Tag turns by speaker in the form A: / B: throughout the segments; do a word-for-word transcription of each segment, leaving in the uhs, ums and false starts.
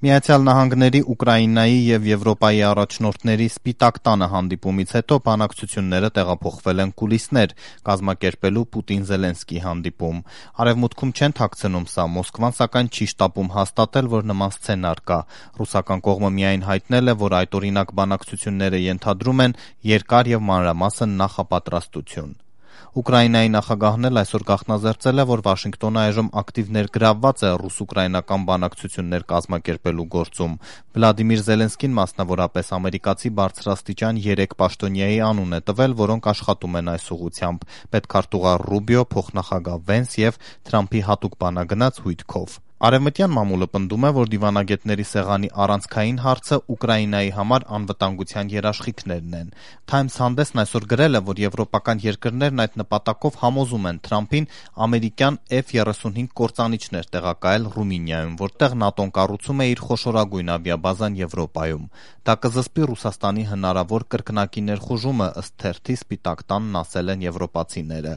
A: Միացյալ Նահանգների, Ուկրաինայի եւ Եվրոպայի առաջնորդների Սպիտակ տանը հանդիպումից հետո բանակցությունները տեղափոխվել են կուլիսներ, կազմակերպելու Պուտին-Զելենսկի հանդիպում։ Արևմուտքում չեն թաքցնում սա, Մոսկվան սակայն չի շտապում հաստատել, որ նման սցենար կա։ Ռուսական կողմը միայն հայտնել է, որ այդօրինակ բանակցությունները ենթադրում են երկար եւ մանրամասն նախապատրաստություն։ Ուկրաինայի նախագահն էլ այսօր գաղտնազերծել է, որ Վաշինգտոնը այժմ ակտիվ ներգրավված է ռուս-ուկրաինական բանակցություններ կազմակերպելու գործում։ Վլադիմիր Զելենսկին մասնավորապես ամերիկացի բարձրաստիճան երեք պաշտոնյայի անուն է տվել, որոնք աշխատում են այս ուղղությամբ՝ պետքարտուղար Ռուբիո, փոխնախագահ Վենս եւ Թրամփի հատուկ բանագնաց Հույթքով։ Արևմտյան մամուլը պնդում է, որ դիվանագետների սեղանի առանցքային հարցը Ուկրաինայի համար անվտանգության երաշխիքներն են։ Times հանդեսն այսօր գրել է, որ եվրոպական երկրներն այդ նպատակով համոզում են Թրամփին ամերիկյան Էֆ թրիսունհինգ կործանիչներ տեղակայել Ռումինիայում, որտեղ ՆԱՏՕ-ն կառուցում է իր խոշորագույն ավիաբազան Եվրոպայում։ Դա կզսպի Ռուսաստանի հնարավոր կրկնակի ներխուժումը, ըստ թերթի Սպիտակ տանն ասել են եվրոպացիները։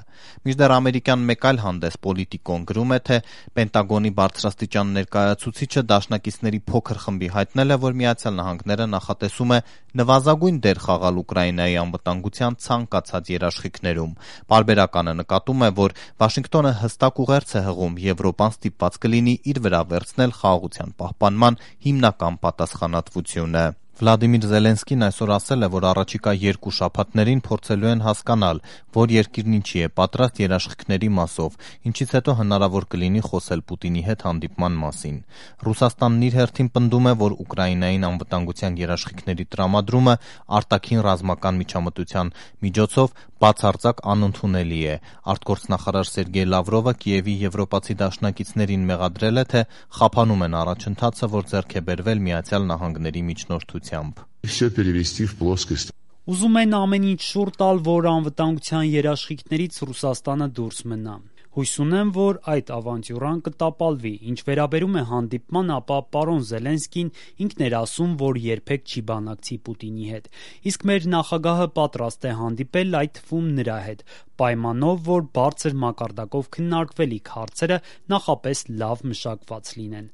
A: Մինչդեռ ամերիկյան մեկ այլ հանդես Պոլիտիկոն գրում է, թե Պենտագոնի բարձրաստիճան ներկայացուցիչը դաշնակիցների փոքր խմբի հայտնել է, որ Միացյալ Նահանգները նախատեսում է նվազագույն դեր խաղալ Ուկրաինայի անվտանգության ցանկացած երաշխիքներում։ Պարբերականը նկատում է, որ Վաշինգտոնը հստակ ուղերձ է հղում, Եվրոպան ստիպված կլինի իր վրա վերցնել խաղաղության պահպանման հիմնական պատասխանատվությունը։ Վլադիմիր Զելենսկին այսօր ասել է, որ առաջիկա երկու շաբաթներին փորձելու են հասկանալ, որ երկիրն ինչի է պատրաստ երաշխիքների մասով, ինչից հետո հնարավոր կլինի խոսել Պուտինի հետ հանդիպման մասին։ Ռուսաստանն իր հերթին պնդում է, որ Ուկրաինային անվտանգության երաշխիքների տրամադրումը արտաքին ռազմական միջամտության միջոցով բացարձակ անընդունելի է։ Արտգործնախարար Սերգեյ Լավրովը Կիևի եվրոպացի դաշնակիցներին մեղադրել է, թե խափանում են առաջընթացը, որ ձեռք է բերվել Միացյալ Նահանգների միջնորդությամբ։
B: Ուզում են ամեն ինչ շուռ տալ, որ անվտանգության երաշխիքներից Ռուսաստանը դուրս մնա։ Հույս ունեմ, որ այդ ավանտյուրան կտապալվի։ Ինչ վերաբերում է հանդիպման, ապա պարոն Զելենսկին ինքն էր ասում, որ երբեք չի բանակցի Պուտինի հետ։ Իսկ մեր նախագահը պատրաստ է հանդիպել, այդ թվում նրա հետ, պայմանով, որ բարձր մակարդակով քննարկվելիք հարցերը նախապես լավ մշակված լինեն։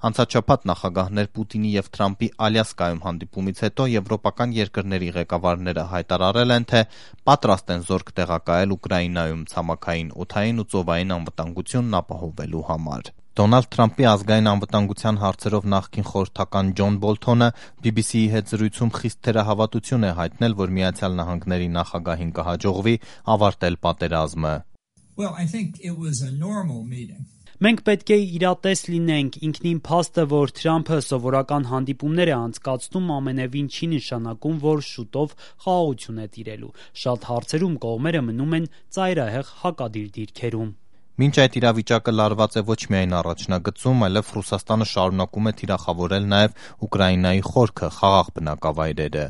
A: Անցած շաբաթ նախագահներ Պուտինի եւ Թրամփի Ալյասկայում հանդիպումից հետո եվրոպական երկրների ղեկավարները հայտարարել են, թե պատրաստ են զորք տեղակայել Ուկրաինայում ցամաքային, օդային ու ծովային անվտանգությունն ապահովելու համար։ Դոնալդ Թրամփի ազգային անվտանգության հարցերով նախկին խորհրդական Ջոն Բոլթոնը բի բի սիի հետ զրույցում խիստ թերահավատություն է հայտնել, որ Միացյալ Նահանգների նախագահին կհաջողվի ավարտել պատերազմը։
B: Մենք պետք է իրատես լինենք, ինքնին փաստը, որ Թրամփը սովորական հանդիպումներ է անցկացնում, ամենևին չի նշանակում, որ շուտով խաղաղություն է տիրելու։ Շատ հարցերում կողմերը մնում են ծայրահեղ հակադիր դիրքերում։
A: Մինչ այդ իրավիճակը լարված է ոչ միայն առաջնագծում, այլև Ռուսաստանը շարունակում է թիրախավորել նաև Ուկրաինայի խորքը, խաղաղ բնակավայրերը։